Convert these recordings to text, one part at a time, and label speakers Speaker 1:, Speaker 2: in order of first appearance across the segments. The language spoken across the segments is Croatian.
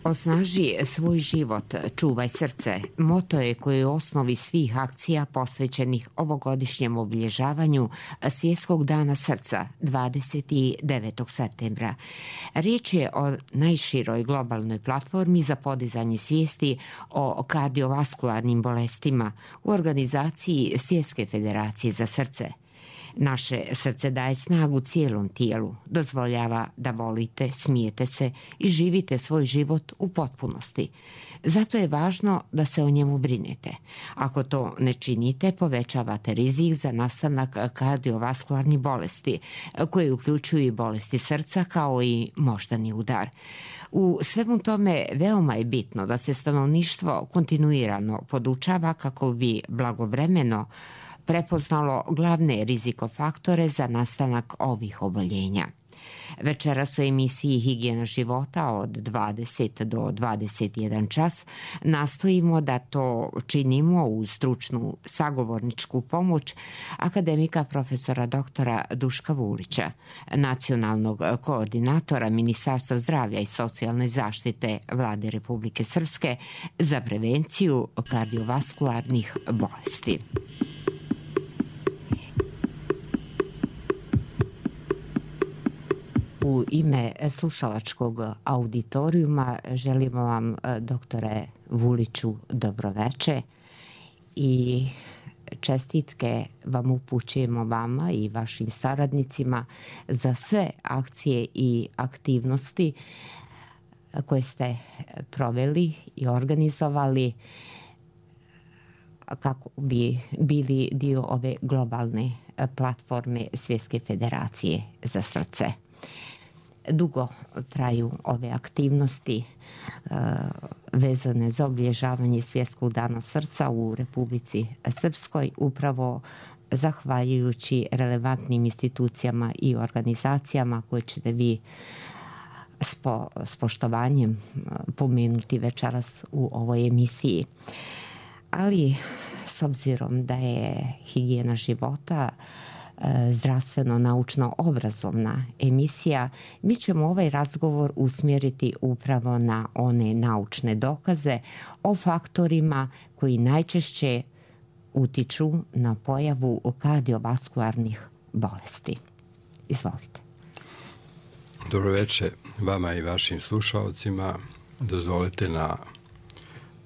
Speaker 1: Osnaži svoj život, čuvaj srce. Moto je koji je u osnovi svih akcija posvećenih ovogodišnjem obilježavanju Svjetskog dana srca 29. septembra. Riječ je o najširoj globalnoj platformi za podizanje svijesti o kardiovaskularnim bolestima u organizaciji Svjetske federacije za srce. Naše srce daje snagu cijelom tijelu, dozvoljava da volite, smijete se i živite svoj život u potpunosti. Zato je važno da se o njemu brinete. Ako to ne činite, povećavate rizik za nastanak kardiovaskularnih bolesti, koje uključuju i bolesti srca kao i moždani udar. U svemu tome veoma je bitno da se stanovništvo kontinuirano podučava kako bi blagovremeno prepoznalo glavne rizikofaktore za nastanak ovih oboljenja. Večeras u emisiji Higijena života od 20 do 21 čas nastojimo da to činimo uz stručnu sagovorničku pomoć akademika profesora doktora Duška Vulića, nacionalnog koordinatora Ministarstva zdravlja i socijalne zaštite Vlade Republike Srpske za prevenciju kardiovaskularnih bolesti. U ime slušalačkog auditorijuma želimo vam, doktore Vuliću, dobroveče i čestitke vam upućujemo vama i vašim saradnicima za sve akcije i aktivnosti koje ste proveli i organizovali kako bi bili dio ove globalne platforme Svjetske federacije za srce. Dugo traju ove aktivnosti vezane za obilježavanje Svjetskog dana srca u Republici Srpskoj, upravo zahvaljujući relevantnim institucijama i organizacijama koje ćete vi s poštovanjem pomenuti večeras u ovoj emisiji. Ali s obzirom da je Higijena života zdravstveno-naučno-obrazovna emisija, mi ćemo ovaj razgovor usmjeriti upravo na one naučne dokaze o faktorima koji najčešće utiču na pojavu kardiovaskularnih bolesti. Izvolite.
Speaker 2: Dobro večer vama i vašim slušalcima. Dozvolite na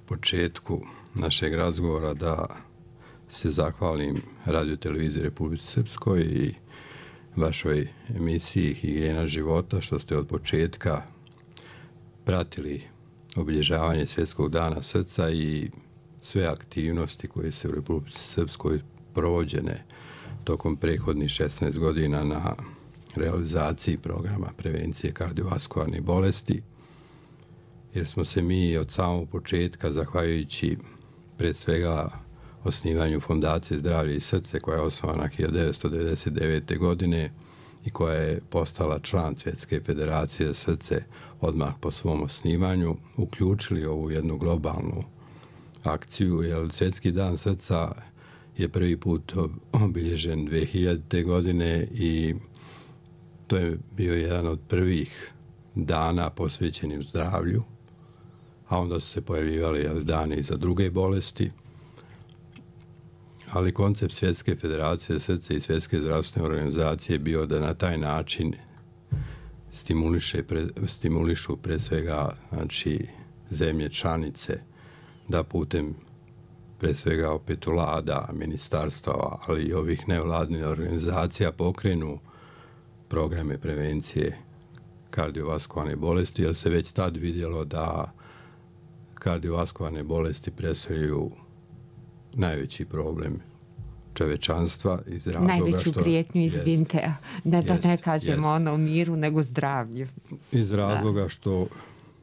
Speaker 2: početku našeg razgovora da se zahvalim Radio televiziji Republike Srpskoj i vašoj emisiji Higijena života što ste od početka pratili obilježavanje Svjetskog dana srca i sve aktivnosti koje se u Republici Srpskoj provođene tokom prethodnih 16 godina na realizaciji programa prevencije kardiovaskularnih bolesti, jer smo se mi od samog početka, zahvaljujući pred svega osnivanju Fondacije zdravlje i srce, koja je osnovana 1999. godine i koja je postala član Svjetske federacije za srce odmah po svom osnivanju, uključili ovu jednu globalnu akciju, jer Svjetski dan srca je prvi put obilježen 2000. godine i to je bio jedan od prvih dana posvećenim zdravlju, a onda su se pojavljivali dani za druge bolesti. Ali koncept Svjetske federacije srca i Svjetske zdravstvene organizacije je bio da na taj način stimulišu pre svega zemlje članice da putem pre svega opet vlada, ministarstava, ali i ovih nevladnih organizacija pokrenu programe prevencije kardiovaskularne bolesti, jer se već tad vidjelo da kardiovaskularne bolesti predstavljaju najveći problem čovečanstva iz razloga
Speaker 1: najveću prijetnju, izvinite, da ne kažemo ono miru, nego zdravlju.
Speaker 2: Iz razloga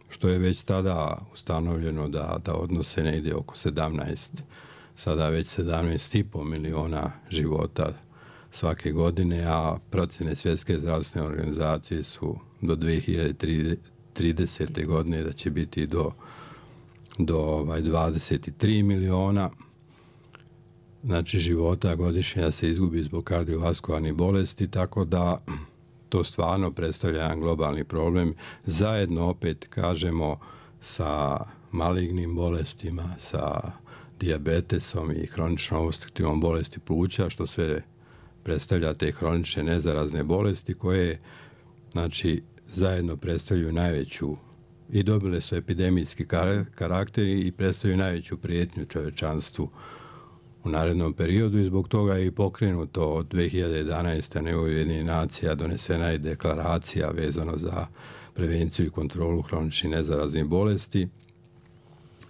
Speaker 2: što je već tada ustanovljeno da odnose negdje oko 17, sada već 17,5 miliona života svake godine, a procjene Svjetske zdravstvene organizacije su do 2030. godine da će biti do 23 miliona života godišnje da se izgubi zbog kardiovaskularnih bolesti, tako da to stvarno predstavlja jedan globalni problem. Zajedno, opet kažemo, sa malignim bolestima, sa dijabetesom i hroničnom opstruktivnom bolesti pluća, što sve predstavlja te hronične nezarazne bolesti koje, znači, zajedno predstavljaju najveću i dobile su epidemijski karakter i predstavljaju najveću prijetnju čovečanstvu u narednom periodu i zbog toga je i pokrenuto od 2011. na nivou Ujedinjenih nacija donesena je deklaracija vezano za prevenciju i kontrolu hroničnih nezaraznih bolesti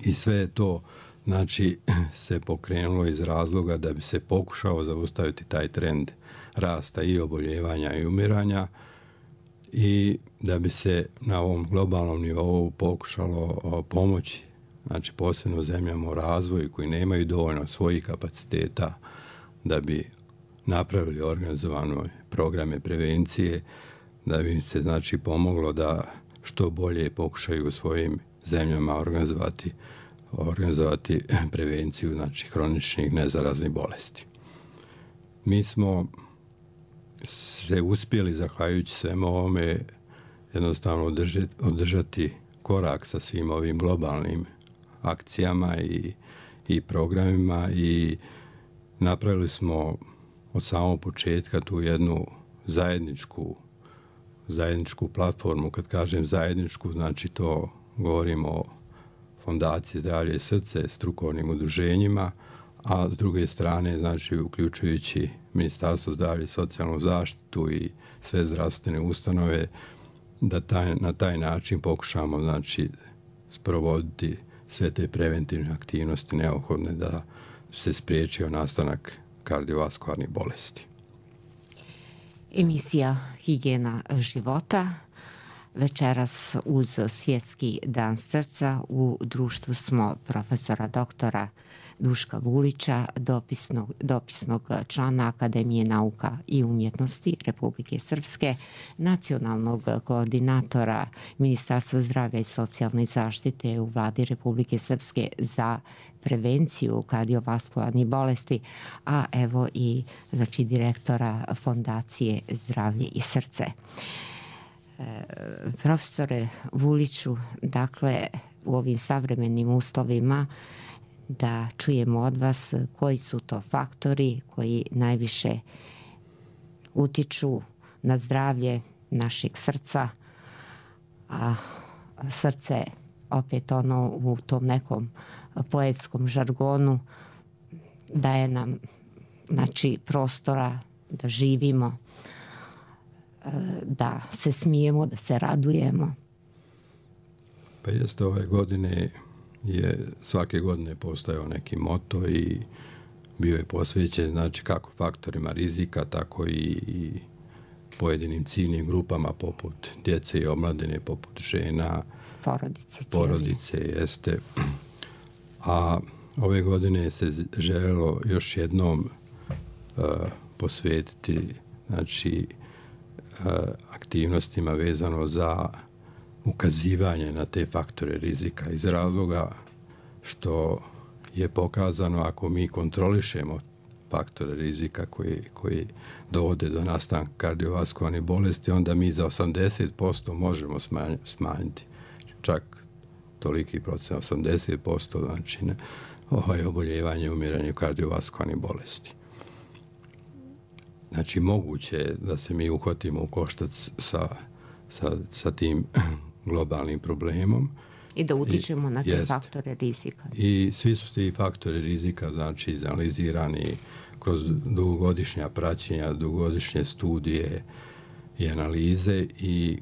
Speaker 2: i sve je to, znači, se pokrenulo iz razloga da bi se pokušao zaustaviti taj trend rasta i oboljevanja i umiranja i da bi se na ovom globalnom nivou pokušalo pomoći, znači posebno zemljama u razvoju koji nemaju dovoljno svojih kapaciteta da bi napravili organizovane programe prevencije, da bi im se, znači, pomoglo da što bolje pokušaju u svojim zemljama organizovati prevenciju, znači, hroničnih nezaraznih bolesti. Mi smo se uspjeli, zahvaljujući svemu ovome, jednostavno održati korak sa svim ovim globalnim akcijama i programima i napravili smo od samog početka tu jednu zajedničku platformu. Kad kažem zajedničku, znači to govorimo o Fondaciji Zdravlje i srce, strukovnim udruženjima, a s druge strane, znači, uključujući Ministarstvo zdravlja i socijalnu zaštitu i sve zdravstvene ustanove, da na taj način pokušamo, znači, sprovoditi sve te preventivne aktivnosti neophodne da se spriječio nastanak kardiovaskularnih bolesti.
Speaker 1: Emisija Higijena života. Večeras uz Svjetski dan srca u društvu smo profesora doktora Duška Vulića, dopisnog člana Akademije nauka i umjetnosti Republike Srpske, nacionalnog koordinatora Ministarstva zdravlja i socijalne zaštite u Vladi Republike Srpske za prevenciju kardiovaskularnih bolesti, a evo i, znači, direktora Fondacije Zdravlje i srce. Profesore Vuliću, dakle, u ovim savremenim uslovima da čujemo od vas koji su to faktori koji najviše utiču na zdravlje našeg srca, a srce opet ono u tom nekom poetskom žargonu daje nam, znači, prostora da živimo, da se smijemo, da se radujemo.
Speaker 2: Pa jeste, ove godine je svake godine postojao neki moto i bio je posvećen, znači, kako faktorima rizika, tako i pojedinim ciljnim grupama poput djece i omladine, poput žena, porodice jeste. A ove godine se željelo još jednom posvetiti, znači, aktivnostima vezano za ukazivanje na te faktore rizika iz razloga što je pokazano ako mi kontrolišemo faktore rizika koji dovode do nastanka kardiovaskularnih bolesti, onda mi za 80% možemo smanjiti čak toliki procent, 80%, znači oboljevanje i umiranje kardiovaskularnih bolesti. Znači, moguće je da se mi uhvatimo u koštac sa tim globalnim problemom.
Speaker 1: I da utičemo na te faktore rizika.
Speaker 2: I svi su ti faktori rizika, znači, izanalizirani kroz dugogodišnja praćenja, dugogodišnje studije i analize i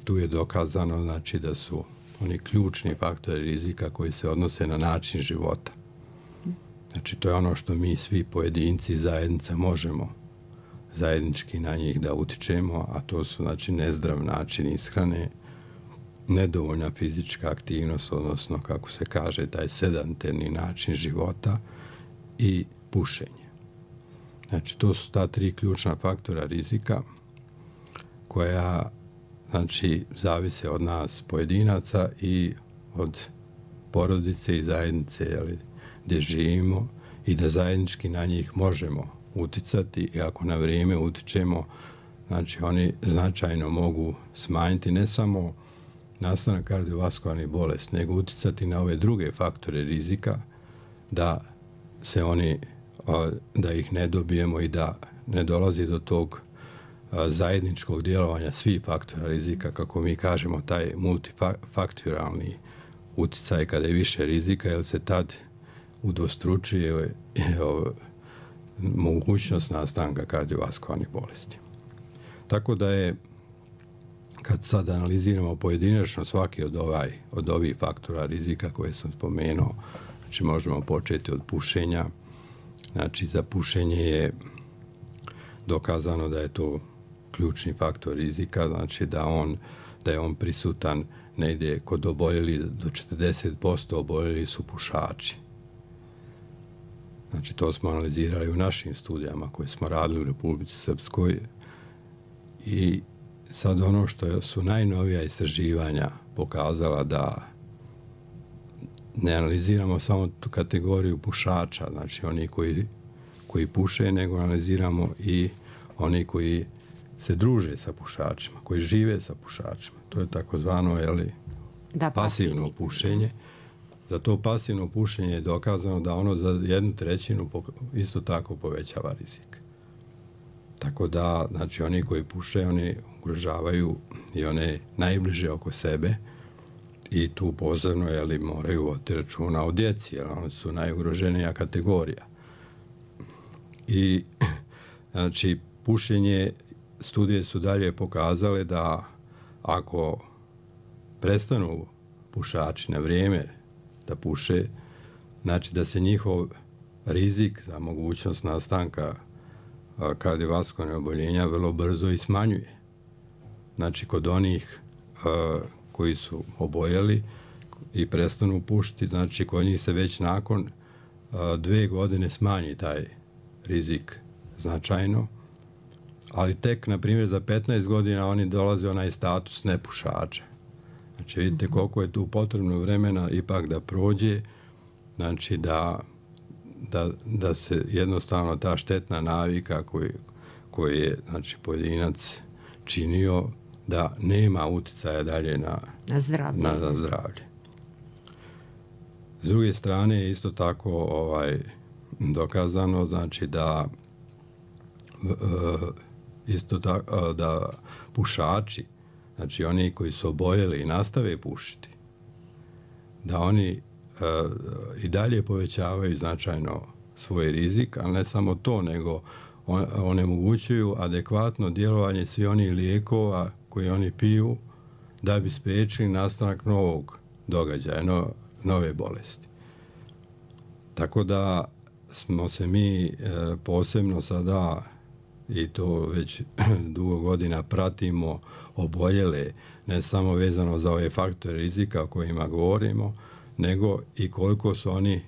Speaker 2: tu je dokazano, znači, da su oni ključni faktori rizika koji se odnose na način života. Znači, to je ono što mi svi pojedinci i zajednica možemo zajednički na njih da utičemo, a to su, znači, nezdrav način ishrane, nedovoljna fizička aktivnost, odnosno, kako se kaže, taj sedentarni način života i pušenje. Znači, to su ta 3 ključna faktora rizika koja, znači, zavise od nas pojedinaca i od porodice i zajednice, gdje živimo, i da zajednički na njih možemo uticati i ako na vrijeme utičemo, znači, oni značajno mogu smanjiti ne samo nastanak kardiovaskularnih bolesti, nego uticati na ove druge faktore rizika da se oni, da ih ne dobijemo i da ne dolazi do tog zajedničkog djelovanja svih faktora rizika, kako mi kažemo, taj multifaktoralni uticaj kada je više rizika, jer se tad udvostručuje mogućnost nastanka kardiovaskularnih bolesti. Tako da je, kad sad analiziramo pojedinačno svaki od ovih faktora rizika koje sam spomenuo, znači možemo početi od pušenja. Znači za pušenje je dokazano da je to ključni faktor rizika, znači da je on prisutan negdje kod oboljeli, do 40% oboljeli su pušači. Znači to smo analizirali u našim studijama koje smo radili u Republici Srpskoj. I sad ono što su najnovija istraživanja pokazala, da ne analiziramo samo tu kategoriju pušača, znači oni koji puše, nego analiziramo i oni koji se druže sa pušačima, koji žive sa pušačima. To je takozvano pasivno pušenje. Za to pasivno pušenje je dokazano da ono za 1/3 isto tako povećava rizik. Tako da, znači, oni koji puše, oni ugrožavaju i one najbliže oko sebe i tu posebno moraju voditi računa o djeci, jer oni su najugroženija kategorija. I znači, pušenje, studije su dalje pokazale da ako prestanu pušači na vrijeme da puše, znači da se njihov rizik za mogućnost nastanka kardiovaskularnih oboljenja vrlo brzo i smanjuje. Znači kod onih koji su oboljeli i prestanu pušiti, znači kod njih se već nakon 2 godine smanji taj rizik značajno, ali tek, na primjer, za 15 godina oni dolaze onaj status nepušača. Znači vidite koliko je tu potrebno vremena ipak da prođe, znači da se jednostavno ta štetna navika koju je, znači, pojedinac činio, da nema uticaja dalje na zdravlje. S druge strane je isto tako dokazano, znači da da pušači, znači oni koji su oboljeli i nastave pušiti, da oni i dalje povećavaju značajno svoj rizik, ali ne samo to, nego onemogućuju adekvatno djelovanje svih onih lijekova koje oni piju da bi spriječili nastanak novog događaja, nove bolesti. Tako da smo se mi posebno sada, i to već dugo godina pratimo oboljele, ne samo vezano za ove faktore rizika o kojima govorimo, nego i koliko su oni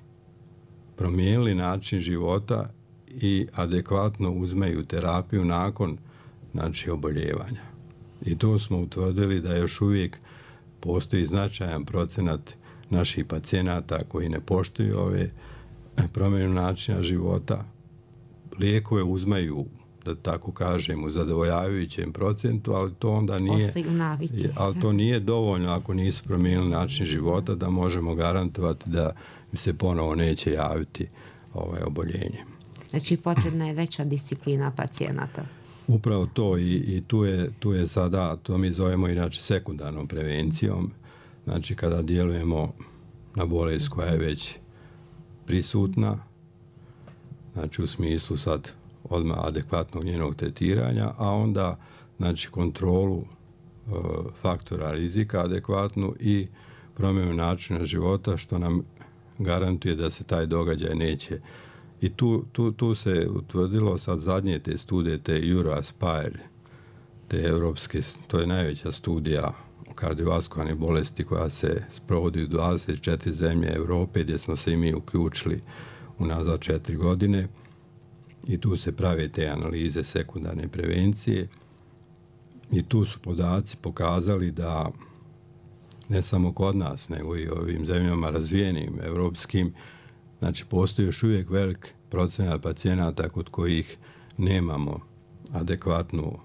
Speaker 2: promijenili način života i adekvatno uzmeju terapiju nakon, znači, oboljevanja. I to smo utvrdili da još uvijek postoji značajan procenat naših pacijenata koji ne poštuju ove promjene načina života. Lijekove uzmeju, da tako kažem, u zadovoljavajućem procentu, ali to onda nije, ali to nije dovoljno ako nisu promijenili način života da možemo garantovati da se ponovo neće javiti oboljenje.
Speaker 1: Znači potrebna je veća disciplina pacijenata.
Speaker 2: Upravo to, i tu je sada, to mi zovemo inače sekundarnom prevencijom, znači kada djelujemo na bolest koja je već prisutna, znači u smislu sad odmah adekvatnog njenog tretiranja, a onda, znači, kontrolu faktora rizika adekvatnu i promjenu načina života, što nam garantuje da se taj događaj neće. I tu se utvrdilo sad zadnje te studije, te EuroAspire, te europske, to je najveća studija o kardiovaskularnih bolesti koja se sprovodi u 24 zemlje Europe, gdje smo se i mi uključili unazad 4 godine. I tu se prave te analize sekundarne prevencije i tu su podaci pokazali da ne samo kod nas, nego i ovim zemljama razvijenim, europskim, znači postoji još uvijek velik procenat pacijenata kod kojih nemamo adekvatnu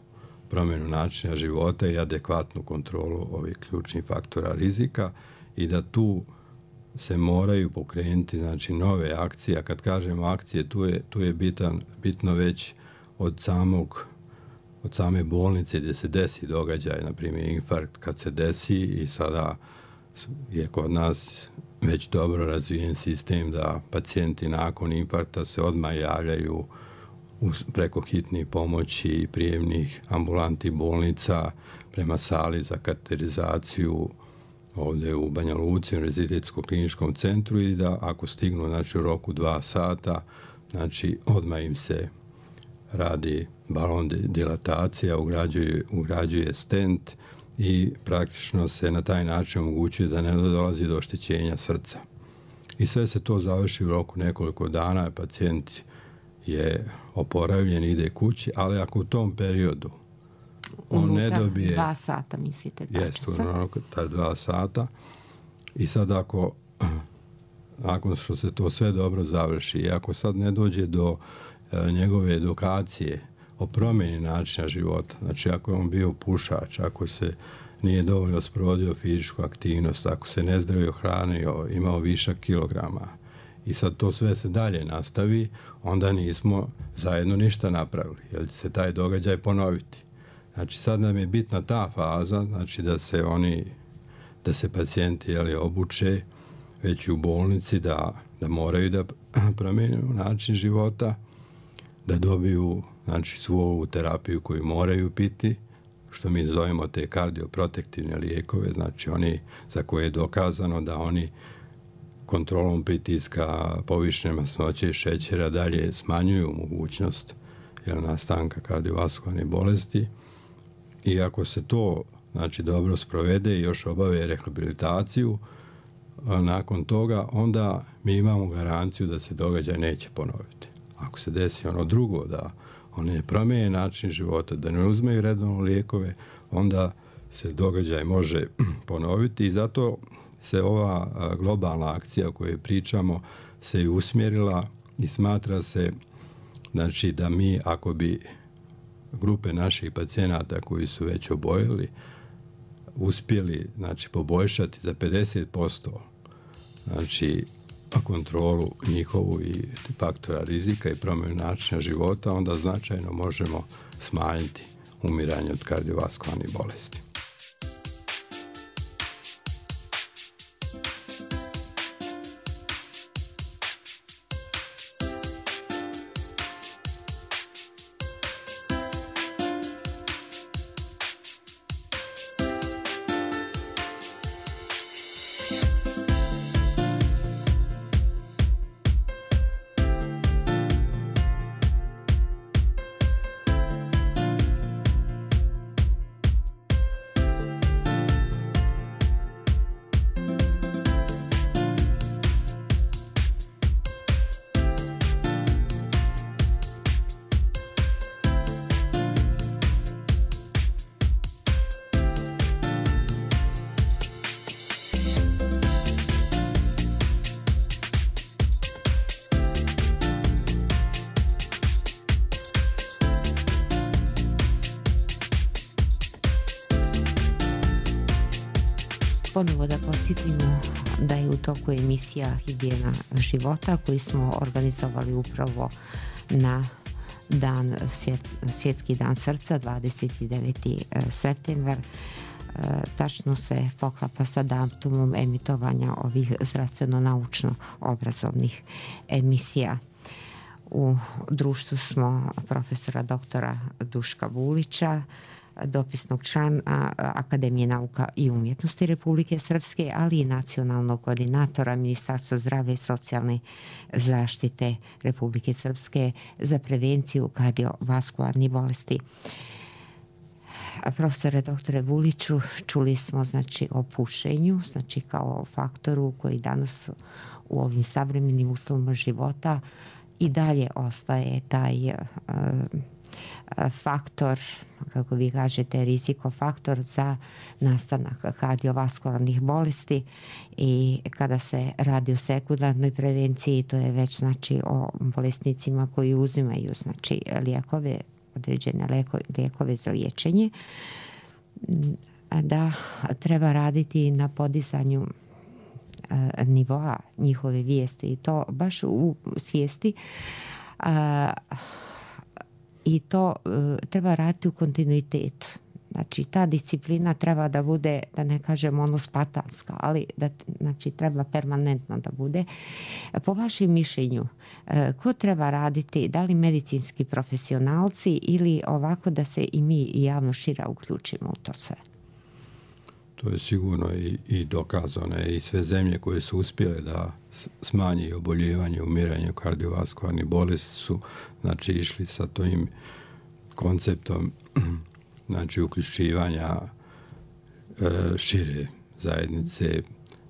Speaker 2: promjenu načina života i adekvatnu kontrolu ovih ključnih faktora rizika i da tu se moraju pokrenuti znači nove akcije. A kad kažemo akcije, tu je bitno već od same bolnice gdje se desi događaj, na primjer infarkt kad se desi, i sada je kod nas već dobro razvijen sistem da pacijenti nakon infarkta se odmah javljaju preko hitnih pomoći i prijemnih ambulanti bolnica prema sali za kateterizaciju ovdje u Banja Luci, Univerzitetskom kliničkom centru, i da ako stignu znači, u roku 2 sata, znači odmah im se radi balon dilatacija, ugrađuje stent i praktično se na taj način omogućuje da ne dolazi do oštećenja srca. I sve se to završi u roku nekoliko dana, pacijent je oporavljen, ide kući, ali ako u tom periodu on ne dobije...
Speaker 1: 2 sata, mislite?
Speaker 2: Jeste, ta 2 sata. I sad nakon što se to sve dobro završi, i ako sad ne dođe do njegove edukacije o promjeni načina života, znači ako je on bio pušač, ako se nije dovoljno sprovodio fizičku aktivnost, ako se nezdravio hranio, imao višak kilograma, i sad to sve se dalje nastavi, onda nismo zajedno ništa napravili, jer će se taj događaj ponoviti. Znači sad nam je bitna ta faza, znači da se pacijenti obuče već u bolnici, da moraju da promijene način života, da dobiju znači svu ovu terapiju koju moraju piti, što mi zovemo te kardioprotektivne lijekove, znači oni za koje je dokazano da oni kontrolom pritiska, povišene masnoće i šećera dalje smanjuju mogućnost nastanka kardiovaskularne bolesti. I ako se to znači dobro sprovede i još obave rehabilitaciju, nakon toga onda mi imamo garanciju da se događaj neće ponoviti. Ako se desi ono drugo, da oni ne promijene način života, da ne uzmeju redovno lijekove, onda se događaj može ponoviti, i zato se ova globalna akcija o kojoj pričamo se i usmjerila i smatra se znači da mi, ako bi grupe naših pacijenata koji su već oboljeli uspjeli znači poboljšati za 50% znači kontrolu njihovu i faktora rizika i promjenu načina života, onda značajno možemo smanjiti umiranje od kardiovaskularnih bolesti.
Speaker 1: Ponovo da podsjetimo da je u toku emisija Higijena života koju smo organizovali upravo na Svjetski dan srca, 29. septembar. Tačno se poklapa sa datumom emitovanja ovih zdravstveno-naučno obrazovnih emisija. U društvu smo profesora doktora Duška Vulića, dopisnog člana Akademije nauka i umjetnosti Republike Srpske, ali i nacionalnog koordinatora Ministarstva zdravlja i socijalne zaštite Republike Srpske za prevenciju kardiovaskularnih bolesti. Profesore doktore Vuliću, čuli smo znači o pušenju, znači kao faktoru koji danas u ovim savremenim uslovima života i dalje ostaje taj faktor, kako vi kažete, rizikofaktor za nastanak kardiovaskularnih bolesti, i kada se radi o sekundarnoj prevenciji, to je već znači o bolesnicima koji uzimaju znači lijekove određene lijekove za liječenje, da treba raditi na podizanju nivoa njihove vijesti i to baš u svijesti, i to treba raditi u kontinuitetu. Znači, ta disciplina treba da bude, da ne kažem spartanska, ali znači, treba permanentno da bude. Po vašem mišljenju, ko treba raditi, da li medicinski profesionalci ili ovako da se i mi javno šira uključimo u to sve?
Speaker 2: To je sigurno i dokazano i sve zemlje koje su uspjele da smanji oboljevanje, umiranje kardiovaskularnih bolesti su znači išli sa tim konceptom znači uključivanja šire zajednice.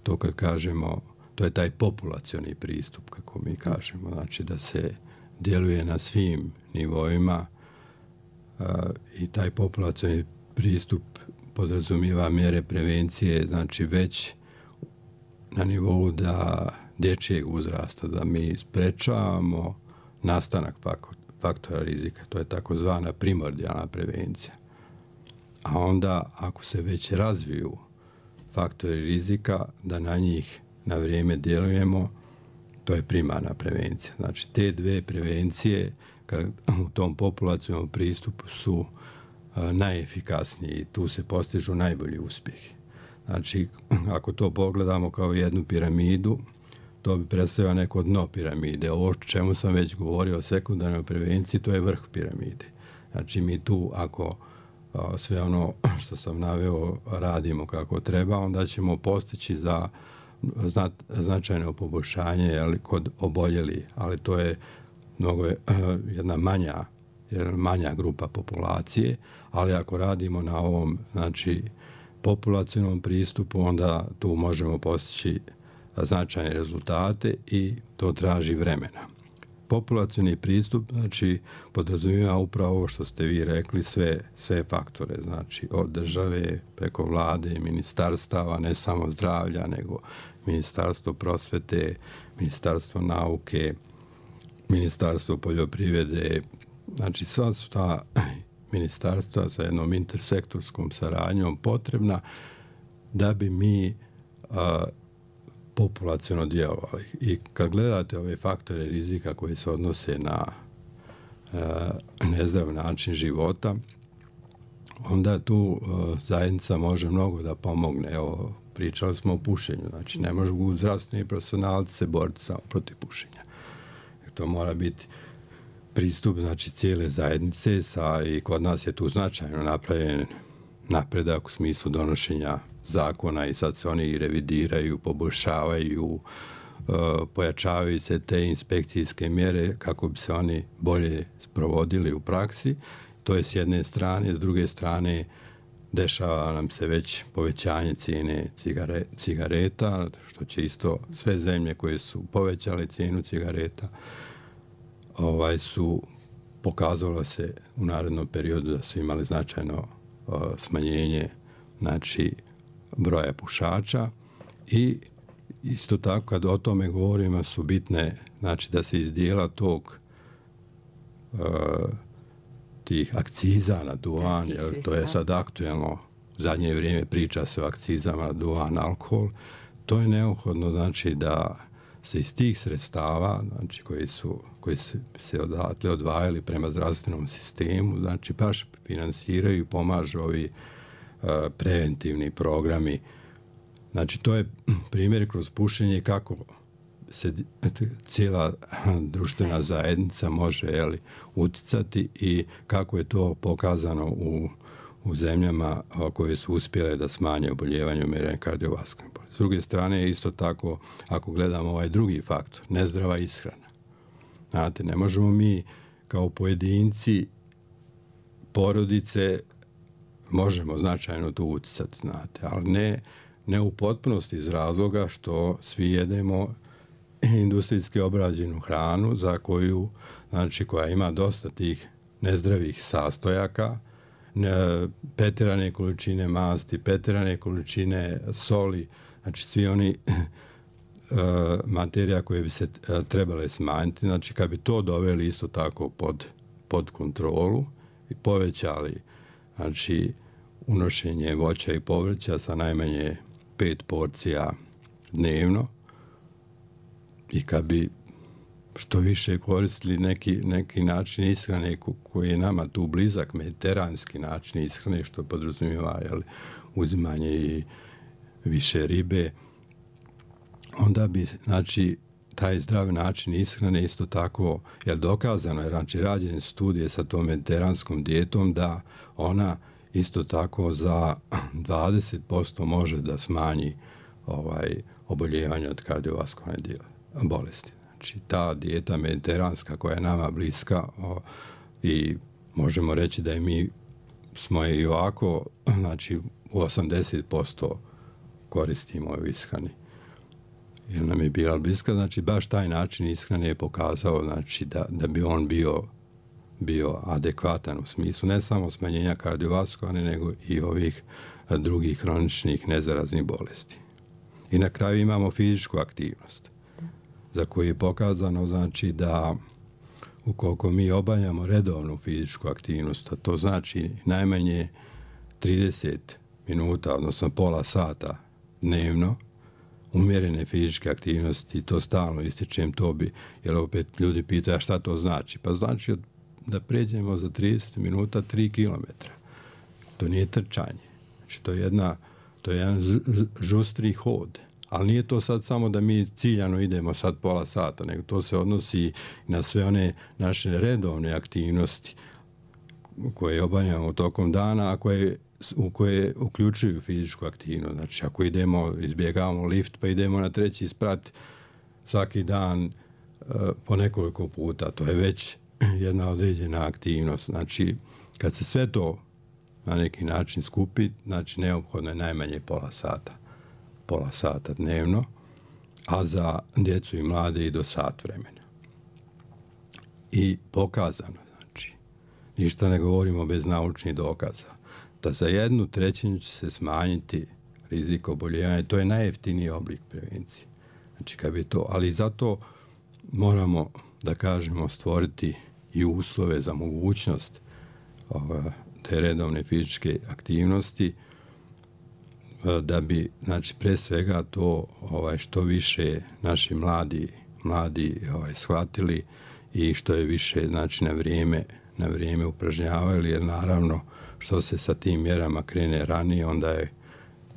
Speaker 2: To kad kažemo, to je taj populacioni pristup, kako mi kažemo, znači da se djeluje na svim nivoima i taj populacioni pristup podrazumijeva mjere prevencije, znači već na nivou da dječjeg uzrasta, da mi sprečavamo nastanak faktora rizika. To je takozvana primordijalna prevencija. A onda, ako se već razviju faktori rizika, da na njih na vrijeme djelujemo, to je primarna prevencija. Znači, te dve prevencije u tom populacijnom pristupu su najefikasniji i tu se postižu najbolji uspjehi. Znači, ako to pogledamo kao jednu piramidu, to bi predstavljalo neko dno piramide. Ovo čemu sam već govorio o sekundarnoj prevenciji, to je vrh piramide. Znači, mi tu, ako sve ono što sam naveo radimo kako treba, onda ćemo postići za značajno poboljšanje kod oboljeli, ali to je jedna manja grupa populacije, ali ako radimo na ovom znači populacionom pristupu, onda tu možemo postići značajne rezultate i to traži vremena. Populacioni pristup znači podrazumijeva upravo ovo što ste vi rekli, sve faktore, znači od države preko vlade, ministarstava, ne samo zdravlja, nego ministarstvo prosvete, ministarstvo nauke, ministarstvo poljoprivrede. Znači, sva su ta ministarstva sa jednom intersektorskom saradnjom potrebna da bi mi populaciono djelovali. I kad gledate ove faktore rizika koji se odnose na nezdrav način života, onda tu zajednica može mnogo da pomogne. Evo, pričali smo o pušenju. Znači, ne mogu zdravstveni profesionalci se boriti samo protiv pušenja. To mora biti pristup znači cijele zajednice i kod nas je tu značajno napravljen napredak u smislu donošenja zakona i sad se oni revidiraju, poboljšavaju, pojačavaju se te inspekcijske mjere kako bi se oni bolje sprovodili u praksi. To je s jedne strane, s druge strane dešava nam se već povećanje cijene cigareta, što će isto sve zemlje koje su povećale cijenu cigareta su pokazalo se u narednom periodu da su imali značajno smanjenje znači broja pušača i isto tako kad o tome govorimo su bitne znači da se iz dijela tog tih akciza na duvan, jer to je sad aktuelno, u zadnje vrijeme priča se o akcizama na duvan, alkohol, to je neophodno znači da se iz tih sredstava, znači koji se odatle odvajali prema zdravstvenom sistemu, znači baš finansiraju i pomažu ovi preventivni programi. Znači to je primjer kroz pušenje kako se cijela društvena zajednica može uticati i kako je to pokazano u zemljama koje su uspjele da smanje oboljevanje umiranje kardiovaskularnih bolesti. S druge strane, isto tako, ako gledamo ovaj drugi faktor, nezdrava ishrana. Znate, ne možemo mi kao pojedinci, porodice, možemo značajno tu uticati, znate, ali ne u potpunosti iz razloga što svi jedemo industrijski obrađenu hranu za koju, znači koja ima dosta tih nezdravih sastojaka, pretjerane količine masti, pretjerane količine soli, znači svi oni materija koje bi se trebale smanjiti. Znači kad bi to doveli isto tako pod kontrolu povećali znači unošenje voća i povrća sa najmanje 5 porcija dnevno i kad bi što više koristili neki način ishrane koji je nama tu blizak, mediteranski način ishrane, što podrazumijeva uzimanje i više ribe, onda bi znači taj zdravi način ishrane isto tako, jer dokazano je, znači rađene studije sa tom mediteranskom dijetom da ona isto tako za 20% može da smanji oboljevanje od kardiovaskularne bolesti. Znači ta dijeta mediteranska koja je nama bliska i možemo reći da mi smo i ovako znači u 80% koristimo u ishrani. Jer nam je bila bliska, znači baš taj način ishrane je pokazao znači da bi on bio adekvatan u smislu ne samo smanjenja kardiovaskularne nego i ovih drugih hroničnih nezaraznih bolesti. I na kraju imamo fizičku aktivnost za koju je pokazano znači da ukoliko mi obavljamo redovnu fizičku aktivnost, a to znači najmanje 30 minuta, odnosno pola sata dnevno, umjerene fizičke aktivnosti, to stalno ističem, to bi, jer opet ljudi pitaju šta to znači. Pa znači da pređemo za 30 minuta 3 kilometra. To nije trčanje. Znači to je jedan žustri hod. Ali nije to sad samo da mi ciljano idemo sad pola sata, nego to se odnosi na sve one naše redovne aktivnosti koje obavljamo tokom dana, a u koje uključuju fizičku aktivnost. Znači, ako izbjegavamo lift, pa idemo na 3. sprat svaki dan po nekoliko puta, to je već jedna određena aktivnost. Znači, kad se sve to na neki način skupi, znači neophodno je najmanje pola sata dnevno, a za djecu i mlade i do sat vremena. I pokazano, znači, ništa ne govorimo bez naučnih dokaza, da za 1/3 će se smanjiti rizik oboljevanja. To je najjeftiniji oblik prevencije. Znači, kad bi to, ali zato moramo, da kažemo, stvoriti i uslove za mogućnost te redovne fizičke aktivnosti, da bi, znači, pre svega to što više naši mladi shvatili i što je više, znači, na vrijeme upražnjavali, jer naravno što se sa tim mjerama krene ranije, onda je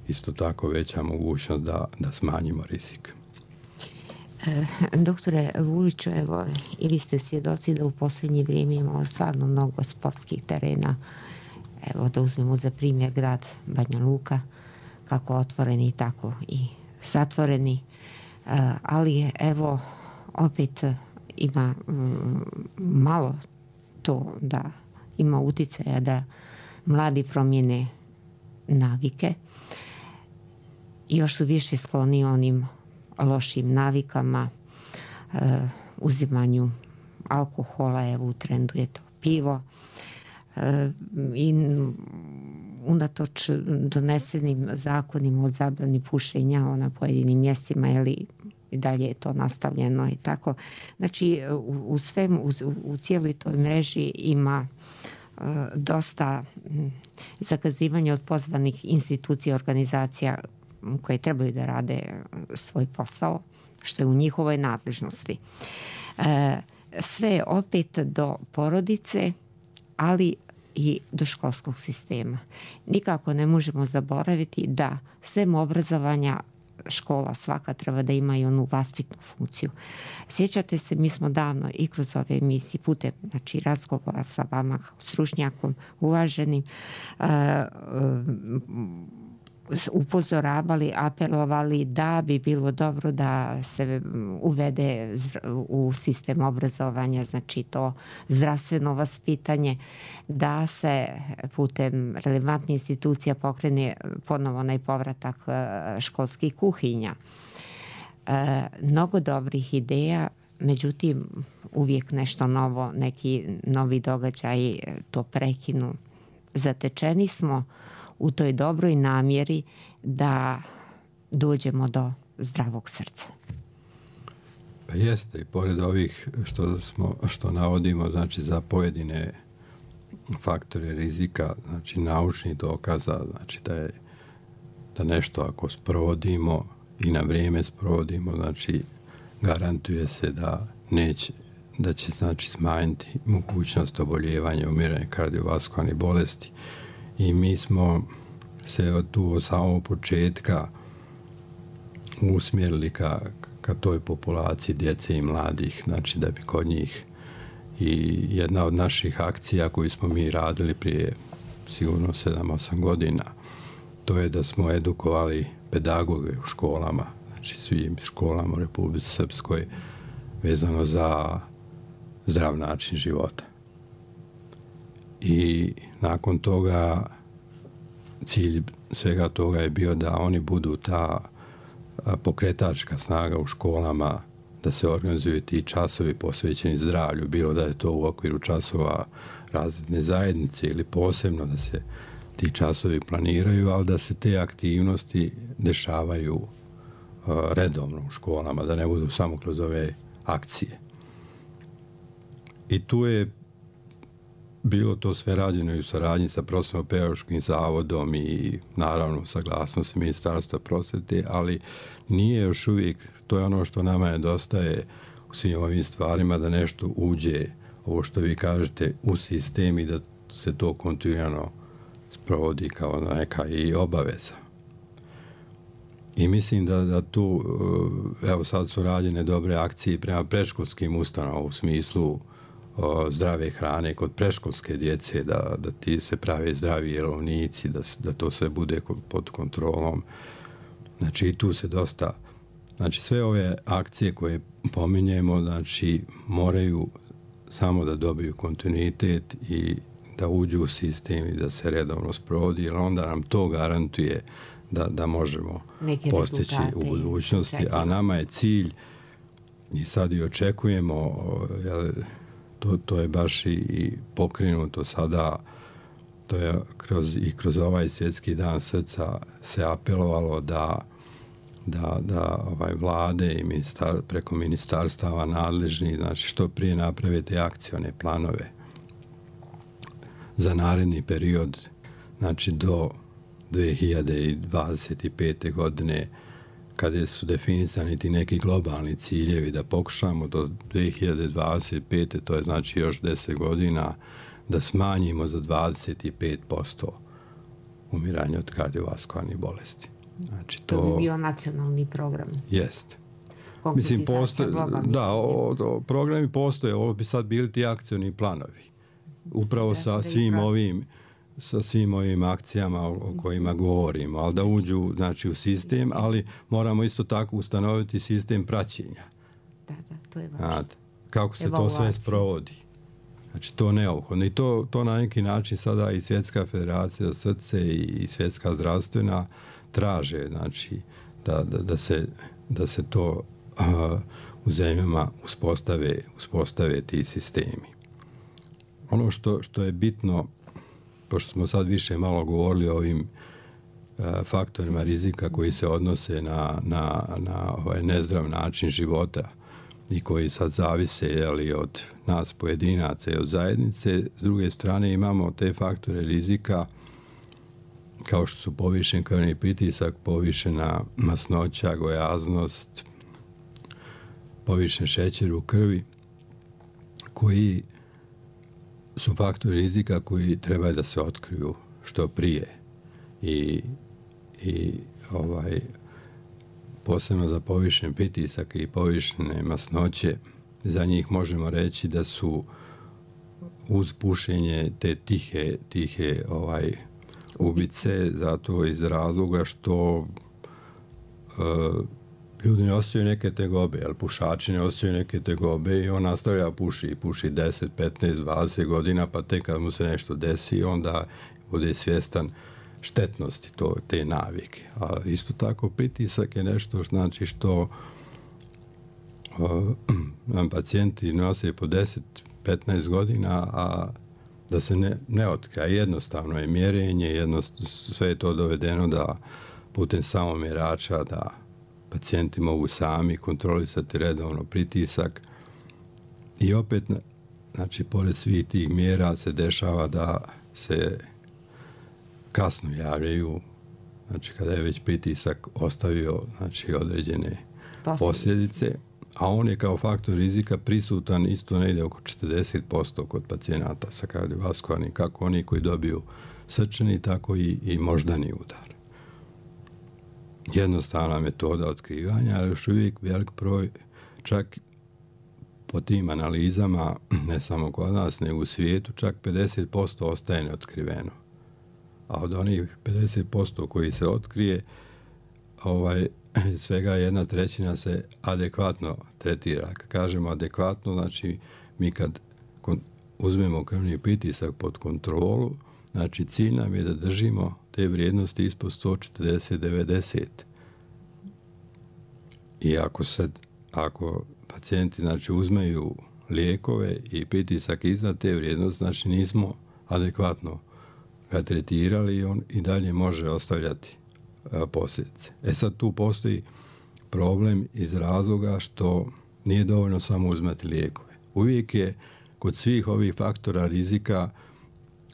Speaker 2: isto tako veća mogućnost da smanjimo rizik.
Speaker 1: Doktore Vuliću, evo, i vi ste svjedoci da u posljednje vrijeme imamo stvarno mnogo sportskih terena. Evo, da uzmemo za primjer grad Banja Luka, kako otvoreni, tako i zatvoreni. Ali evo, opet ima malo to da ima uticaja da mladi promijene navike. Još su više skloni onim lošim navikama, uzimanju alkohola, evo u trendu je to pivo. I unatoč donesenim zakonima o zabrani pušenja na pojedinim mjestima, i dalje je to nastavljeno i tako. Znači, u cijeloj toj mreži ima dosta zakazivanja od pozvanih institucija, organizacija koje trebaju da rade svoj posao, što je u njihovoj nadležnosti. Sve opet do porodice, ali i do školskog sistema. Nikako ne možemo zaboraviti da sem obrazovanja škola svaka treba da ima i onu vaspitnu funkciju. Sjećate se, mi smo davno i kroz ove emisije putem, znači, razgovora sa vama kao stručnjakom uvaženim, upozoravali, apelovali da bi bilo dobro da se uvede u sistem obrazovanja, znači to zdravstveno vaspitanje, da se putem relevantnih institucija pokrene ponovo onaj povratak školskih kuhinja. Mnogo dobrih ideja, međutim uvijek nešto novo, neki novi događaj to prekinu. Zatečeni smo u toj dobroj namjeri da dođemo do zdravog srca.
Speaker 2: Pa jeste, i pored ovih što navodimo, znači, za pojedine faktore rizika, znači naučnih dokaza, znači da nešto ako sprovodimo i na vrijeme sprovodimo, znači garantuje se da će znači smanjiti mogućnost oboljevanja, umiranja kardiovaskularnih bolesti. I mi smo se od samog početka usmjerili ka toj populaciji djece i mladih, znači da bi kod njih i jedna od naših akcija koju smo mi radili prije sigurno 7-8 godina, to je da smo edukovali pedagoge u školama, znači svim školama u Republici Srpskoj vezano za zdrav način života. I nakon toga cilj svega toga je bio da oni budu ta pokretačka snaga u školama, da se organizuju ti časovi posvećeni zdravlju, bilo da je to u okviru časova razredne zajednice ili posebno da se ti časovi planiraju, ali da se te aktivnosti dešavaju redovno u školama, da ne budu samo kroz ove akcije. I tu je bilo to sve rađeno i u saradnji sa Profesionalno-pedagoškim zavodom i naravno saglasnost Ministarstva prosvete, ali nije još uvijek, to je ono što nama nedostaje u svim ovim stvarima, da nešto uđe, ovo što vi kažete, u sistem i da se to kontinuirano sprovodi kao neka i obaveza. I mislim da tu, evo sad su rađene dobre akcije prema predškolskim ustanovama u smislu zdrave hrane kod predškolske djece, da ti se prave zdravi jelovnici, da to sve bude pod kontrolom. Znači i tu se dosta, znači sve ove akcije koje pominjemo, znači moraju samo da dobiju kontinuitet i da uđu u sistem i da se redovno sprovodi, jer onda nam to garantuje da možemo postići u budućnosti, a nama je cilj i sad i očekujemo, to je baš i pokrenuto sada, to je kroz ovaj svjetski dan srca se apelovalo da vlade i preko ministarstava nadležni, znači što prije naprave te akcione planove za naredni period, znači do 2025. godine, kada su definisani ti neki globalni ciljevi, da pokušamo do 2025. to je znači još 10 godina, da smanjimo za 25% umiranje od kardiovaskularnih bolesti. Znači,
Speaker 1: to bi bio nacionalni program.
Speaker 2: Jest. Mislim, programi postoje, ovo bi sad bili ti akcioni planovi. Upravo sa svim ovim akcijama o kojima govorimo, ali da uđu znači, u sistem, ali moramo isto tako ustanoviti sistem praćenja.
Speaker 1: Da, to je važno.
Speaker 2: Kako se to sve sprovodi. Znači, to neophodno. I to na neki način sada i Svjetska federacija za srce i Svjetska zdravstvena traže, znači, da se to u zemljama uspostave ti sistemi. Ono što je bitno, pošto smo sad više malo govorili o ovim faktorima rizika koji se odnose na ovaj nezdrav način života i koji sad zavise od nas pojedinaca i od zajednice, s druge strane imamo te faktore rizika kao što su povišen krvni pritisak, povišena masnoća, gojaznost, povišen šećer u krvi, koji su faktori rizika koji treba da se otkriju što prije i posebno za povišen pritisak i povišene masnoće, za njih možemo reći da su uz pušenje te tihe ubice, zato iz razloga što ljudi ne osjećaju neke tegobe, jer pušači ne osjećaju neke tegobe i on nastavlja puši 10, 15, 20 godina, pa tek kad mu se nešto desi, onda bude svjestan štetnosti te navike. A isto tako pritisak je nešto znači što nam pacijenti nose po 10, 15 godina, a da se ne otkrija. Jednostavno je mjerenje, sve je to dovedeno da putem samomjerača da pacijenti mogu sami kontrolisati redovno pritisak i opet znači, pored svih tih mjera se dešava da se kasno javljaju, znači kada je već pritisak ostavio, znači, određene posljedice, a on je kao faktor rizika prisutan isto negdje oko 40% kod pacijenata sa kardiovaskularnim, kako oni koji dobiju srčani, tako i moždani udar. Jednostavna metoda otkrivanja, ali još uvijek velik broj, čak po tim analizama, ne samo kod nas, nego u svijetu, čak 50% ostaje neotkriveno. A od onih 50% koji se otkrije, svega 1/3 se adekvatno tretira. Kad kažemo adekvatno, znači mi kad uzmemo krvni pritisak pod kontrolu, znači cilj nam je da držimo te vrijednosti ispod 140-90. I ako pacijenti, znači, uzmeju lijekove i pritisak iznad te vrijednosti, znači nismo adekvatno ga tretirali i on i dalje može ostavljati posljedice. Sad tu postoji problem iz razloga što nije dovoljno samo uzmati lijekove. Uvijek je kod svih ovih faktora rizika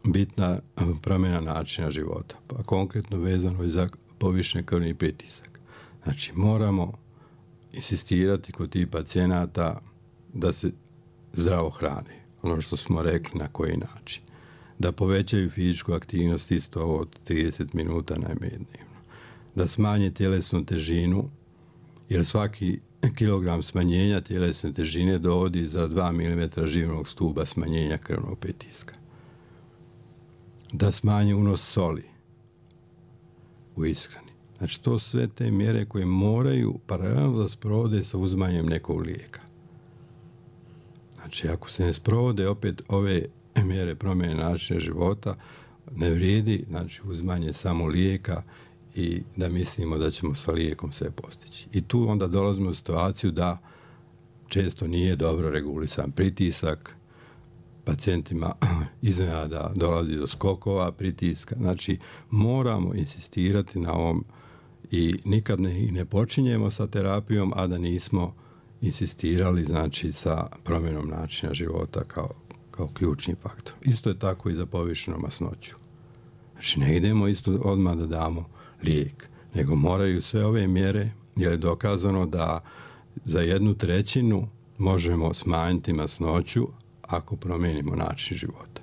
Speaker 2: bitna promjena načina života, pa konkretno vezano i za povišen krvni pritisak. Znači, moramo insistirati kod tih pacijenata da se zdravo hrane, ono što smo rekli na koji način. Da povećaju fizičku aktivnost isto od 30 minuta najmanje dnevno. Da smanje tjelesnu težinu, jer svaki kilogram smanjenja tjelesne težine dovodi za 2 mm živnog stuba smanjenja krvnog pritiska. Da smanje unos soli u ishrani. Znači, to sve te mjere koje moraju paralelno da sprovode sa uzmanjem nekog lijeka. Znači, ako se ne sprovode opet ove mjere promjene načina života, ne vrijedi, znači, uzmanje samo lijeka i da mislimo da ćemo sa lijekom sve postići. I tu onda dolazimo u situaciju da često nije dobro regulisan pritisak, pacijentima iznenada dolazi do skokova pritiska. Znači, moramo insistirati na ovom i nikad ne počinjemo sa terapijom, a da nismo insistirali, znači, sa promjenom načina života kao ključni faktor. Isto je tako i za povišenu masnoću. Znači, ne idemo isto odmah da damo lijek, nego moraju sve ove mjere, jer je dokazano da za 1/3 možemo smanjiti masnoću ako promijenimo način života.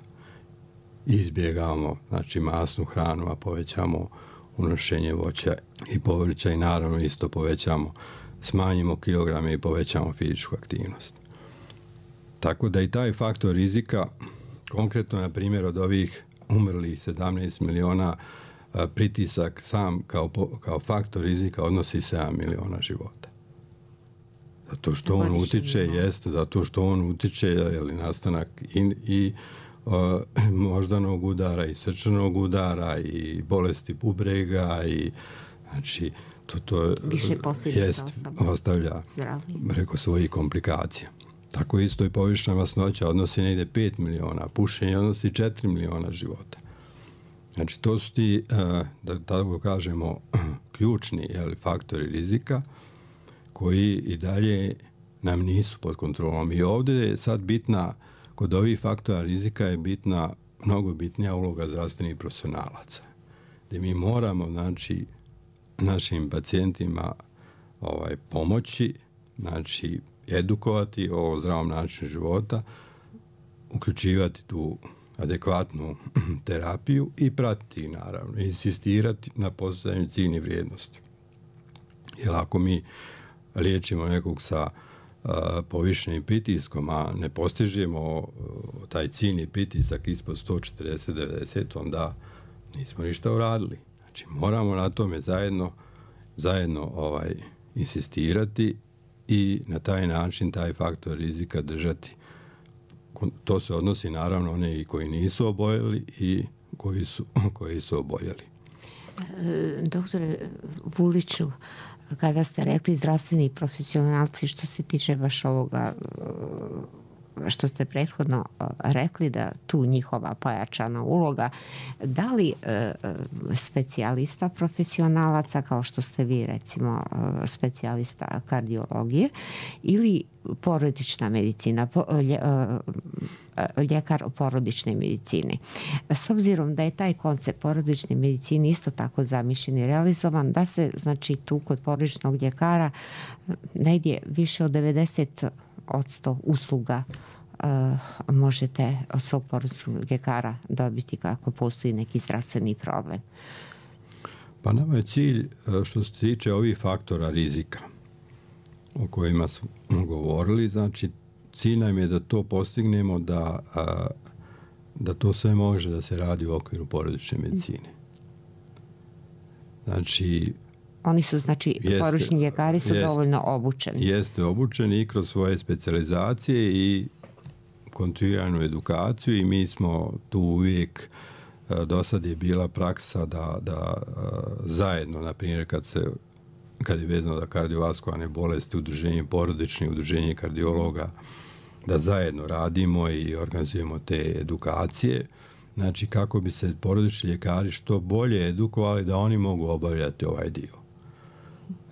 Speaker 2: Izbjegavamo, znači, masnu hranu, a povećamo unošenje voća i povrća i naravno isto smanjimo kilograme i povećamo fizičku aktivnost. Tako da i taj faktor rizika, konkretno na primjer od ovih umrlih 17 miliona, pritisak sam kao faktor rizika odnosi 7 miliona života. Zato što on utiče, je nastanak i moždanog udara i srčanog udara i bolesti bubrega i, znači, to ostavlja preko svojih komplikacija. Tako isto i povišena masnoća odnosi negdje 5 miliona, pušenje odnosi 4 miliona života. Znači, to su ti, da tako kažemo, ključni faktori rizika koji i dalje nam nisu pod kontrolom. I ovdje je sad bitna, kod ovih faktora rizika je bitna, mnogo bitnija uloga zdravstvenih profesionalaca. Gdje mi moramo, znači, našim pacijentima pomoći, znači, edukovati o zdravom načinu života, uključivati tu adekvatnu terapiju i pratiti, naravno, insistirati na postizanju ciljnih vrijednosti. Jer ako mi liječimo nekog sa povišenim pritiskom, a ne postižemo taj ciljni pritisak ispod 140-90, onda nismo ništa uradili. Znači, moramo na tome zajedno insistirati i na taj način taj faktor rizika držati. To se odnosi naravno one i koji nisu oboljeli i koji su oboljeli.
Speaker 1: Doktore Vuliću, kada ste rekli zdravstveni profesionalci, što se tiče baš ovoga što ste prethodno rekli da tu njihova pojačana uloga, da li specijalista profesionalaca kao što ste vi recimo specijalista kardiologije ili porodična medicina, ljekar porodične medicine. S obzirom da je taj koncept porodične medicine isto tako zamišljen i realizovan, da se znači tu kod porodičnog ljekara negdje više od 90% usluga možete od svog porodičnog ljekara dobiti kako postoji neki zdravstveni problem.
Speaker 2: Pa nama je cilj što se tiče ovih faktora rizika o kojima smo govorili, znači cilj nam je da to postignemo da to sve može da se radi u okviru porodične medicine. Znači
Speaker 1: oni su, znači, porodični ljekari su dovoljno obučeni.
Speaker 2: Jeste obučeni i kroz svoje specijalizacije i kontinuiranu edukaciju i mi smo tu uvijek, do sad je bila praksa da zajedno, na primjer kad je vezano za kardiovaskularne bolesti, udruženje kardiologa, da zajedno radimo i organizujemo te edukacije. Znači kako bi se porodični ljekari što bolje edukovali da oni mogu obavljati ovaj dio.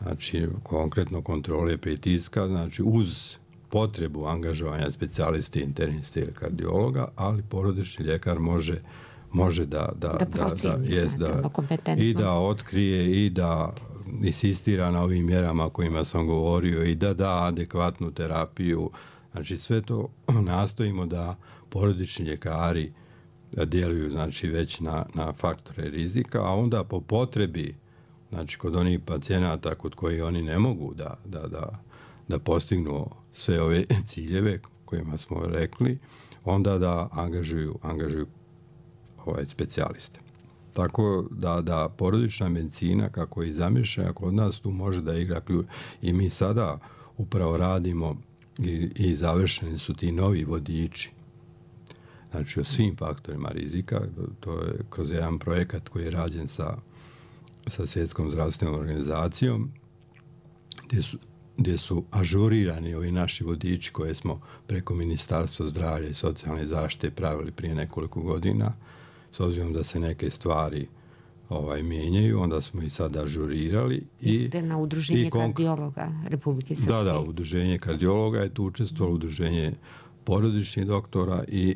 Speaker 2: Znači konkretno kontrole pritiska, znači uz potrebu angažovanja specijaliste, interniste ili kardiologa, ali porodični ljekar može da
Speaker 1: procjeni,
Speaker 2: i da otkrije i da insistira na ovim mjerama o kojima sam govorio i da adekvatnu terapiju. Znači sve to nastojimo da porodični ljekari djeluju znači već na faktore rizika, a onda po potrebi, znači kod onih pacijenata kod kojih oni ne mogu da postignu sve ove ciljeve kojima smo rekli, onda da angažuju specijaliste. Tako da porodična medicina kako je zamišljena kod nas tu može da igra ključ. I mi sada upravo radimo i završeni su ti novi vodiči. Znači o svim faktorima rizika, to je kroz jedan projekat koji je rađen sa Svjetskom zdravstvenom organizacijom, gdje su ažurirani ovi naši vodiči koje smo preko Ministarstva zdravlja i socijalne zaštite pravili prije nekoliko godina. S obzirom da se neke stvari mijenjaju, onda smo i sad ažurirali.
Speaker 1: Ste na Udruženje kardiologa Republike Srpske.
Speaker 2: Da, Udruženje kardiologa je tu učestvovalo, Udruženje porodičnih doktora i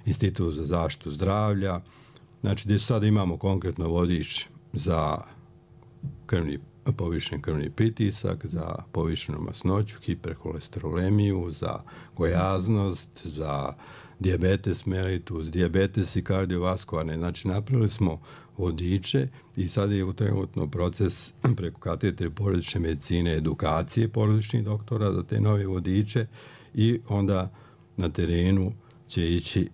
Speaker 2: Institut za zaštitu zdravlja. Znači, gdje sada imamo konkretno vodič za povišen krvni pritisak, za povišenu masnoću, hiperholesterolemiju, za gojaznost, za dijabetes mellitus, dijabetes i kardiovaskularne. Znači, napravili smo vodiče i sad je trenutno proces preko katedre porodične medicine, edukacije porodičnih doktora za te nove vodiče i onda na terenu će ići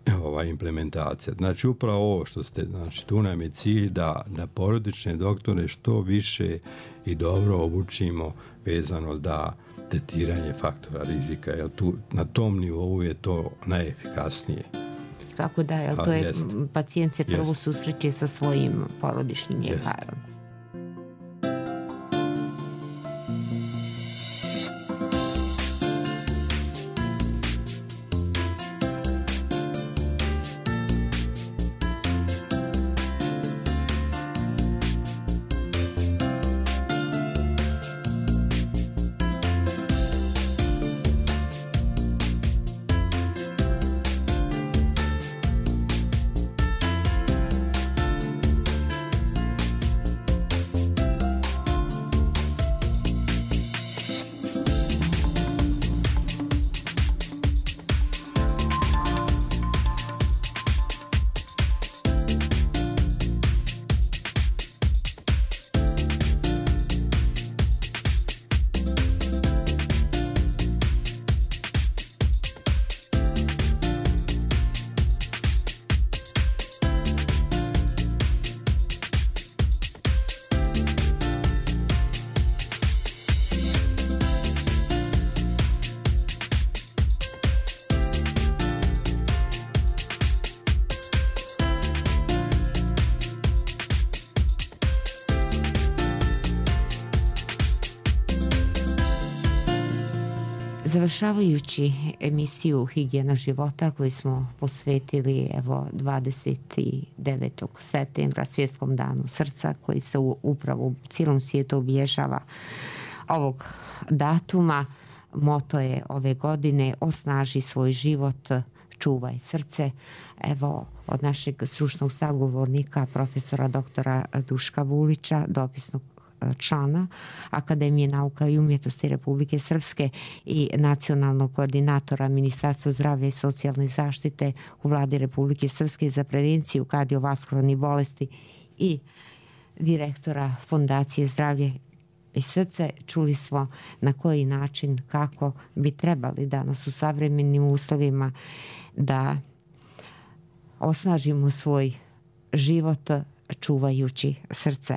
Speaker 2: implementacija. Znači, upravo ovo što ste, znači, tu nam je cilj da porodične doktore što više i dobro obučimo vezano da tretiranje faktora rizika, jer tu na tom nivou je to najefikasnije.
Speaker 1: Kako da, jer to je pacijent se prvo susreće sa svojim porodičnim ljekarom. Završavajući emisiju Higijena života koju smo posvetili 29. septembra Svjetskom danu srca koji se upravo u cijelom svijetu obilježava ovog datuma, moto je ove godine osnaži svoj život, čuvaj srce. Evo, od našeg stručnog sagovornika, profesora doktora Duška Vulića, dopisnog člana Akademije nauka i umjetnosti Republike Srpske i nacionalnog koordinatora Ministarstva zdravlja i socijalne zaštite u Vladi Republike Srpske za prevenciju kardiovaskularnih bolesti i direktora Fondacije zdravlje i srce, čuli smo na koji način, kako bi trebali danas u savremenim uslovima da osnažimo svoj život čuvajući srce.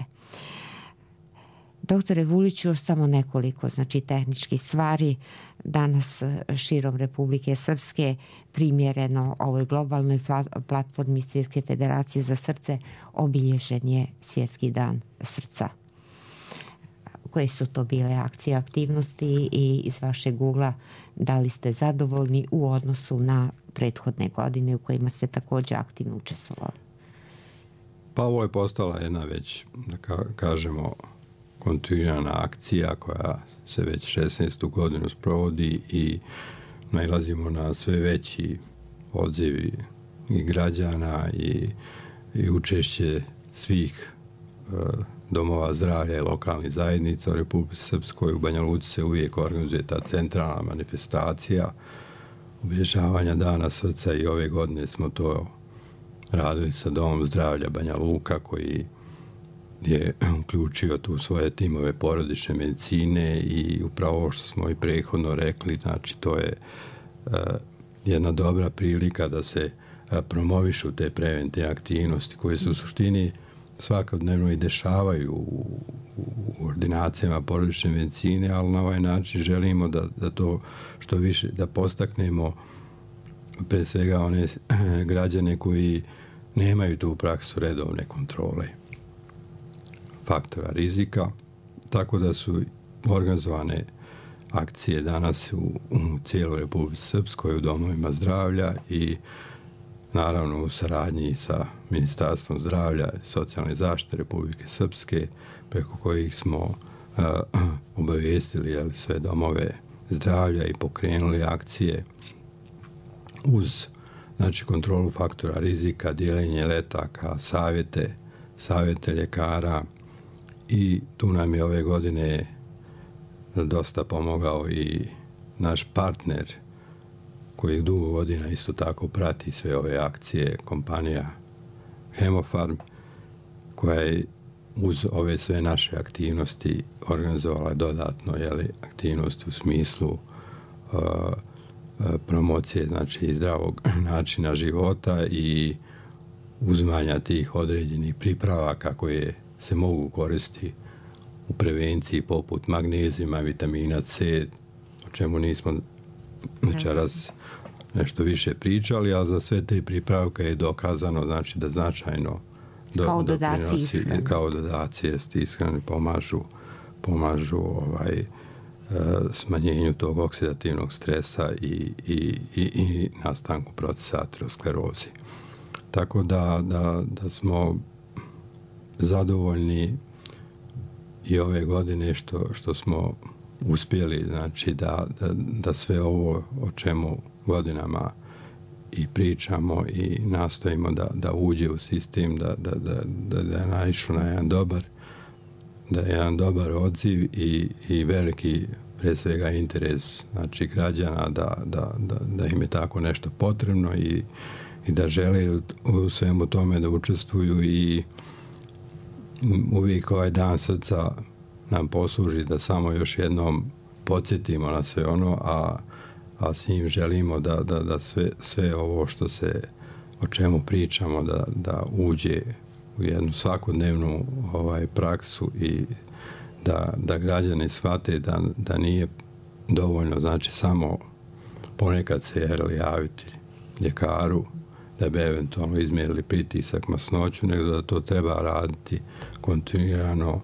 Speaker 1: Doktore Vuliću, još samo nekoliko tehničkih stvari. Danas širom Republike Srpske primjereno ovoj globalnoj platformi Svjetske federacije za srce obilježen je Svjetski dan srca. Koje su to bile akcije, aktivnosti i iz vašeg ugla da li ste zadovoljni u odnosu na prethodne godine u kojima ste također aktivno učestvovali?
Speaker 2: Pa ovo je postala jedna već, da kažemo, kontinuirana akcija koja se već 16. godinu sprovodi i nailazimo na sve veći odziv i građana i učešće svih domova zdravlja i lokalnih zajednica u Republici Srpskoj. U Banja Luci se uvijek organizuje ta centralna manifestacija obilježavanja Dana srca i ove godine smo to radili sa Domom zdravlja Banja Luka koji je uključio tu svoje timove porodične medicine i upravo ovo što smo i prethodno rekli, znači to je jedna dobra prilika da se promovišu te preventivne aktivnosti koje se u suštini svakodnevno i dešavaju u ordinacijama porodične medicine, ali na ovaj način želimo da to što više, da postaknemo pre svega one građane koji nemaju tu praksu redovne kontrole faktora rizika, tako da su organizovane akcije danas u cijeloj Republici Srpskoj u domovima zdravlja i naravno u saradnji sa Ministarstvom zdravlja i socijalne zaštite Republike Srpske, preko kojih smo obavijestili sve domove zdravlja i pokrenuli akcije uz kontrolu faktora rizika, dijeljenje letaka, savjete ljekara i tu nam je ove godine dosta pomogao i naš partner koji dugo godina isto tako prati sve ove akcije, kompanija Hemofarm, koja je uz ove sve naše aktivnosti organizovala dodatno aktivnosti u smislu promocije zdravog načina života i uzimanja tih određenih pripravaka koje se mogu koristiti u prevenciji poput magnezijuma, vitamina C, o čemu nismo večeras nešto više pričali, ali za sve te pripravke je dokazano da značajno kao dodacije ishrani pomažu smanjenju tog oksidativnog stresa i nastanku procesa ateroskleroze. Tako da smo zadovoljni i ove godine što smo uspjeli da sve ovo o čemu godinama i pričamo i nastojimo da uđe u sistem, da je naišlo na jedan dobar odziv i veliki pre svega interes građana da im je tako nešto potrebno i da žele u svemu tome da učestvuju i uvijek ovaj dan srca nam posluži da samo još jednom podsjetimo na sve ono, a s njim želimo da sve ovo o čemu pričamo da uđe u jednu svakodnevnu praksu i da građani shvate da nije dovoljno samo ponekad se javiti ljekaru da bi eventualno izmjerili pritisak, masnoću, nego da to treba raditi kontinuirano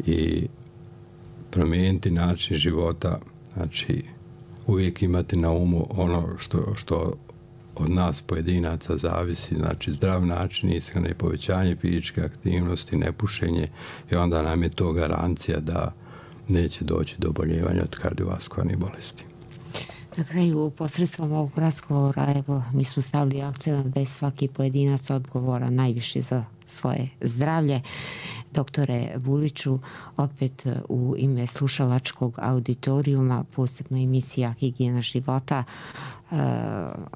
Speaker 2: i promijeniti način života, uvijek imati na umu ono što od nas pojedinaca zavisi, znači zdrav način ishrane, povećanje fizičke aktivnosti, nepušenje, i onda nam je to garancija da neće doći do oboljevanja od kardiovaskularnih bolesti.
Speaker 1: Na kraju, posredstvom ovog razgovora, evo, mi smo stavili akcent da je svaki pojedinac odgovoran najviše za svoje zdravlje. Doktore Vuliću, opet u ime slušalačkog auditorijuma, posebno emisija Higijena života,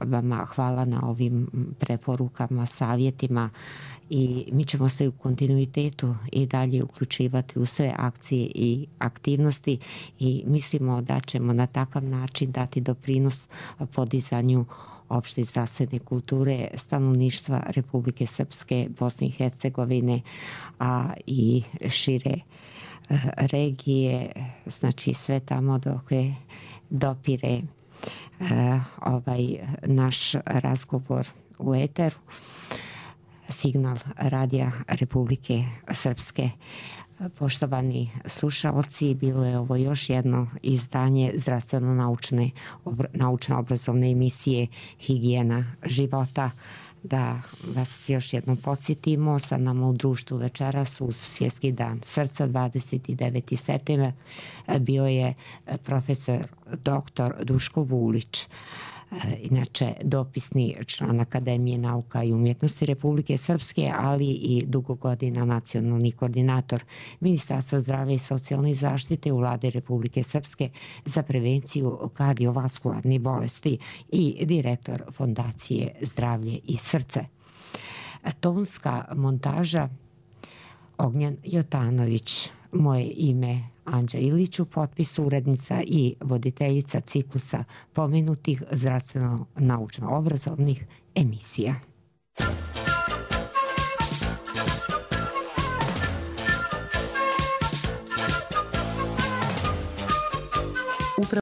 Speaker 1: vama hvala na ovim preporukama, savjetima, i mi ćemo se u kontinuitetu i dalje uključivati u sve akcije i aktivnosti i mislimo da ćemo na takav način dati doprinos podizanju opšte zdravstvene kulture stanovništva Republike Srpske, Bosne i Hercegovine, a i šire regije, znači sve tamo dok dopire ovaj naš razgovor u eteru. Signal radija Republike Srpske. Poštovani slušalci, bilo je ovo još jedno izdanje zdravstveno-naučno obrazovne emisije Higijena života. Da vas još jednom podsjetimo, sa nama u društvu večeras uz Svjetski dan srca 29. septembar bio je profesor dr. Duško Vulić, inače dopisni član Akademije nauka i umjetnosti Republike Srpske, ali i dugo godina nacionalni koordinator Ministarstva zdravlja i socijalne zaštite u Vladi Republike Srpske za prevenciju kardiovaskularnih bolesti i direktor Fondacije Zdravlje i srce. Tonska montaža Ognjen Jotanović. Moje ime Anđa Ilić, u potpisu urednica i voditeljica ciklusa pomenutih zdravstveno-naučno obrazovnih emisija.